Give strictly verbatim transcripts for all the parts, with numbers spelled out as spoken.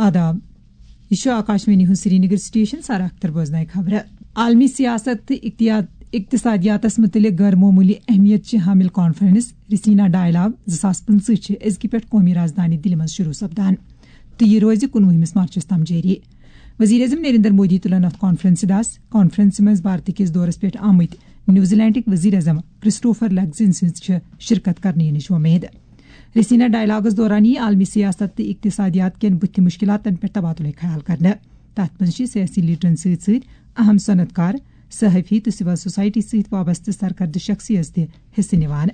آداب، یہِ چھُ آکاشوانی ہُنٛد سرینگر سٹیشن۔ سارا اختر بوزنایہِ خبرٕ۔ عالمی سیاست تہٕ اقتیاد-، اقتصادیاتس مُتعلق غٲر معموٗلی اہمیت چہِ حامل کانفرنس رسینا ڈائیلاگ زٕ ساس پٕنٛژٕہ چھِ أزکہِ پٮ۪ٹھ قومی رازدانی دِلہِ منٛز شروع سپدان تہٕ یہِ روزِ کُنوُہمِس مارچس تام جٲری۔ وزیر اعظم نریندر مودی تُلن اتھ کانفرنسہِ دس۔ کانفرنسہِ منٛز بھارتہٕ کِس دورس پٮ۪ٹھ آمٕتۍ نیوزی لینڈٕکۍ وزیر اعظم کرسٹوفر لگزن سٕنٛز چھِ شرکت کرنہٕ یِنٕچ وۄمید۔ رسینا ڈائیلاگس دوران یی عالمی سیاست تہٕ اقتصادیات کٮ۪ن بُتھِ مشکلاتن پٮ۪ٹھ تبادلہٕ خیال کرنہٕ۔ تتھ منٛز چھِ سیاسی لیڈرن سۭتۍ سۭتۍ اہم صنعت کار، صحافی تہٕ سول سوسائٹی سۭتۍ وابستہٕ سرکردٕ شخصیت تہِ حصہٕ نِوان۔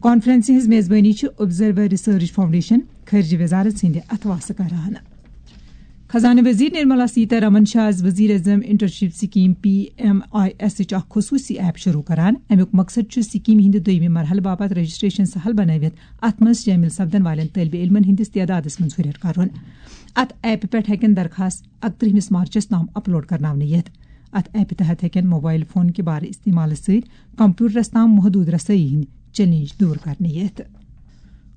کانفرنسہِ ہٕنٛز میزبٲنی چھِ آبزرور ریسرچ فاؤنڈیشن، خارجہ وزارت سٕنٛدِ اتھواسہٕ کران۔ خزانہٕ وزیر نرملا سیتارامن چھِ آز وزیر اعظم internship scheme, P M I S, اکھ خصوصی ایپ شروع کران۔ امیُک مقصد چھُ سکیمہِ ہٕنٛدِ دوٚیمہِ مرحلہٕ باپتھ رجسٹریشن سہل بنٲوِتھ اتھ منٛز شٲمِل سپدن والٮ۪ن طٲلبہِ علمن ہٕنٛدِس تعدادس منٛز ہُرٮ۪ر کرُن۔ اتھ ایپہِ پٮ۪ٹھ ہٮ۪کن درخواست اکترٕہمِس مارچس تام اپلوڈ کرناونہٕ یِتھ۔ اتھ ایپہِ تحت ہٮ۪کن موبائل فون کہِ بارٕ استعمالہٕ سۭتۍ کمپیوٹرس تام محدود رسٲیی ہٕنٛدۍ چیلنج دور کرنہٕ یِتھ۔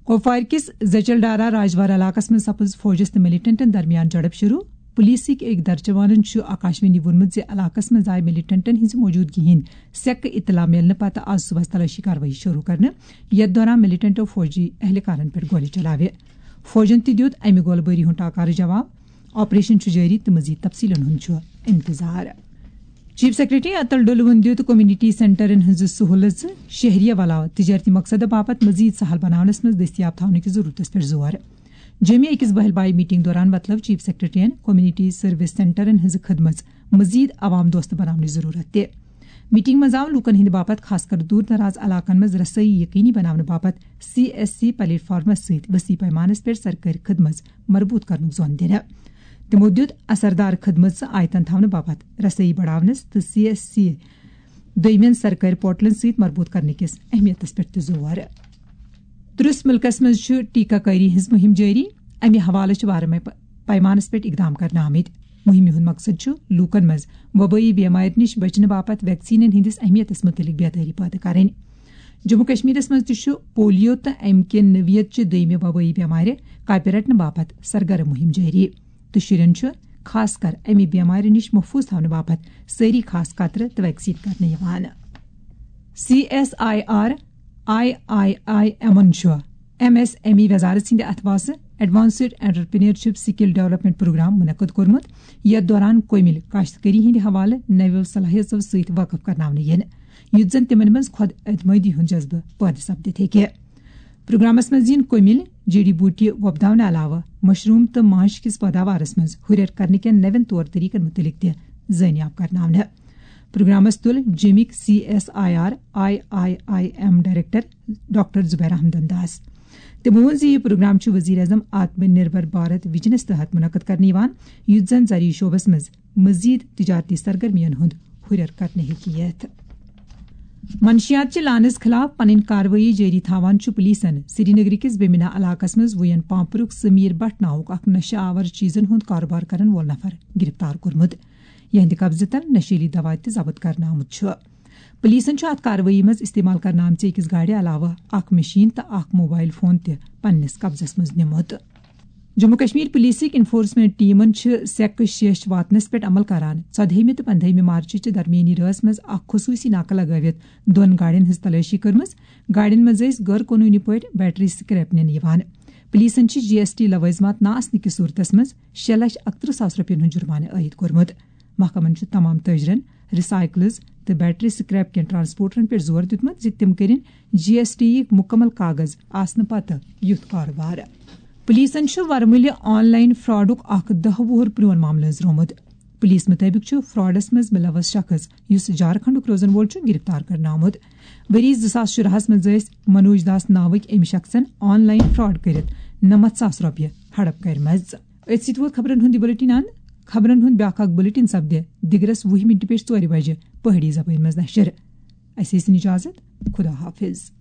کوپوارِ کِس زچل ڈارا راجوارہ علاقس منٛز سپٕز فوجس تہٕ ملیٹنٹن درمیان جھڑپ شروع۔ پولیسٕکۍ أکۍ درجوانن چھُ آکاشوانی ووٚنمُت زِ علاقس منٛز آیہِ ملیٹنٹن ہٕنٛزِ موجودگی ہٕنٛدۍ سیکہٕ اطلاع میلنہٕ پتہٕ آز صبحس تلٲشی کاروٲیی شروع کرنہٕ، یتھ دوران ملیٹنٹو فوجی اہلکارن پٮ۪ٹھ گولہِ چلاوِ۔ فوجن تہِ دیُت امہِ گولہٕ بٲری ہُنٛد ٹاکارٕ جواب۔ آپریشن چھُ جٲری تہٕ مزید تفصیلن ہُنٛد چھُ انتظار۔ چیف سیکرٹری اتل ڈولون دیُت کمیونٹی سینٹرن ہٕنٛزٕ سہولژٕ شہریہ علاوٕ تجارتی مقصدٕ باپتھ مزید سہل بناونس منٛز دستیاب تھاونہٕ کِس ضرورتس پٮ۪ٹھ زور۔ جوٚمہِ أکِس بہل بائی میٹنگ دوران وۄتلٲو چیف سیکرٹریَن کمیونٹی سروس سینٹرن ہٕنٛزٕ خدمژ مزید عوام دوست بناونٕچ ضرورت تہِ۔ میٹنگ منٛز آو لوٗکن ہٕنٛدِ باپتھ، خاص کر دوٗر دراز علاقن منٛز رسٲیی یقینی بناونہٕ باپتھ، سی ایس سی پلیٹ فارمس سۭتۍ وسیع پیمانس پٮ۪ٹھ سرکٲرۍ خدمژ مربوط کرنُک زون دِنہٕ۔ تِمو دیُت اثردار خدمژ آیتن تھاونہٕ باپتھ رسٲیی بڑاونس تہٕ سی ایس سی دویمٮ۪ن سرکٲرۍ پورٹلن سۭتۍ مربوط کرنہٕ کِس اہمیتس پٮ۪ٹھ تہِ زور۔ درست مُلکس منٛز چھُ ٹیکہ کٲری ہٕنٛز مُہِم جٲری۔ امہِ حوالہٕ چھِ وارٕ مے پ-، پیمانس پٮ۪ٹھ اقدام کرنہٕ آمٕتۍ۔ مُہِمہِ ہُنٛد مقصد چھُ لوٗکن منٛز وبٲیی بیمارِ نِش بچنہٕ باپتھ ویکسیٖنن ہٕنٛدِس اہمیتس مُتعلق بیدٲری پٲدٕ کرٕنۍ۔ جموں کشمیرس منٛز تہِ چھُ پولیو تہٕ امہِ کہِ نوعیت چہِ دوٚیمہِ وبٲیی بیمارِ کاپہِ رٹنہٕ باپتھ سرگرم مُہِم جٲری، تہٕ شُرٮ۪ن چھُ خاص کر امہِ بیمارِ نِش محفوظ تھاونہٕ باپتھ سٲری خاص قطرٕ تہٕ ویکسیٖن کرنہٕ یِوان۔ C S I R I I I ایمن چھُ ایم ایس ایم ای وزارت سٕنٛدِ اتھواسہٕ advanced entrepreneurship skill development programme منعقد کوٚرمُت، یتھ دوران کومِل کاشتکٲری ہٕنٛدِ حوالہٕ نویو صلاحیژو سۭتۍ وٲقف کرناونہٕ یِن، یُتھ زن تِمن منٛز خود اعتمٲدی ہُنٛد جذبہٕ پٲدٕ سپدِتھ ہیٚکہِ۔ پروگرامس منٛز یِن کومِل، جڑی بوٹی وۄپداونہٕ علاوٕ مشروم تہٕ ماچھ کِس پٲداوارس منٛز ہُرٮ۪ر کرنہٕ کٮ۪ن نوٮ۪ن طور طریقن مُتعلق تہِ زٲنیاب کرناونہٕ۔ پروگرامس تُل جیٚمِکۍ C S I R I I I M director doctor Zubair احمدن داس۔ تٔمۍ ووٚن زِ یہِ پروگرام چھُ وزیر اعظم آتم نربھر بھارت وژنس تحت منعقد کرنہٕ یِوان، یُتھ زن زرعی شعبس منٛز مزید تجارتی سرگرمین ہُنٛد ہُرٮ۪ر کرنہٕ ہیٚکہِ یِتھ۔ منشیات چہِ لانس خلاف پنٕنۍ کاروٲیی جٲری تھاوان چھُ پولیسن سرینگرٕ کِس بیمنا علاقس منٛز وُین پامپرُک سمیر بٹ ناوُک اکھ نشہٕ آور چیزن ہُنٛد کاروبار کرن وول نفر گرفتار کوٚرمُت، یہنٛدِ قبضہٕ تل نشیلی دوا تہِ ضبط کرنہٕ آمُت چھُ۔ پولیسن چھُ اتھ کاروٲیی منٛز استعمال کرنہٕ آمژِ أکِس گاڑِ علاوٕ اکھ مشین تہٕ اکھ موبائل فون تہِ پننِس قبضس منٛز نیومُت۔ جموں کشمیر پولیسٕکۍ انفورسمنٹ ٹیمن چھِ سیکہٕ شیش واتنس پٮ۪ٹھ عمل کران۔ ژۄدہٲمہِ تہٕ پندہٲمہِ مارچ چہِ درمیٲنی رٲژ منٛز اکھ خصوٗصی ناکہٕ لگٲوِتھ دۄن گاڑٮ۪ن ہٕنٛز تلٲشی کٔرمٕژ۔ گاڑٮ۪ن منٛز ٲسۍ غٲر قونوٗنی پٲٹھۍ بیٹری سکریپ نِنہٕ یِوان۔ پولیسن چھِ جی ایس ٹی لوٲزمات نہٕ آسنہٕ کِس صورتس منٛز شےٚ لچھ اکترٕہ ساس رۄپین ہُنٛد جُرمانہٕ عٲید کوٚرمُت۔ محکمن چھُ تمام تٲجرن، ریسائیکلز تہٕ بیٹری سکریپ کٮ۪ن ٹرانسپورٹرن پٮ۪ٹھ زور دیُتمُت زِ تِم کٔرِن جی ایس ٹی یِکۍ مُکمل کاغذ آسنہٕ پتہٕ یُتھ کارٕبار۔ پولیسن چھُ ورمُلہِ آن لائن فراڈُک اکھ دَہ وُہُر پرٛون معاملہٕ أنٛزرومُت۔ پولیس مُطٲبِق چھُ فراڈس منٛز مُلوث شخص، یُس جھارکھنڈُک روزن وول چھُ، گرفتار کرنہٕ آمُت۔ ؤری زٕ ساس شُراہس منٛز ٲسۍ منوج داس ناوٕکۍ أمۍ شخصن آن لائن فراڈ کٔرِتھ نَمَتھ ساس رۄپیہِ ہڑپ کٔرمٕژ۔ أتھۍ سۭتۍ ووت خبرن ہُنٛد یہِ بُلٹن اند۔ خبرن ہُنٛد بیٛاکھ اکھ بُلٹن سپدِ دِگرس وُہہِ مِنٹہِ پٮ۪ٹھ ژورِ بجہِ پہٲڑی زبٲنۍ منٛز نشر۔ اسہِ ٲسِن اجازت۔ خدا حافظ۔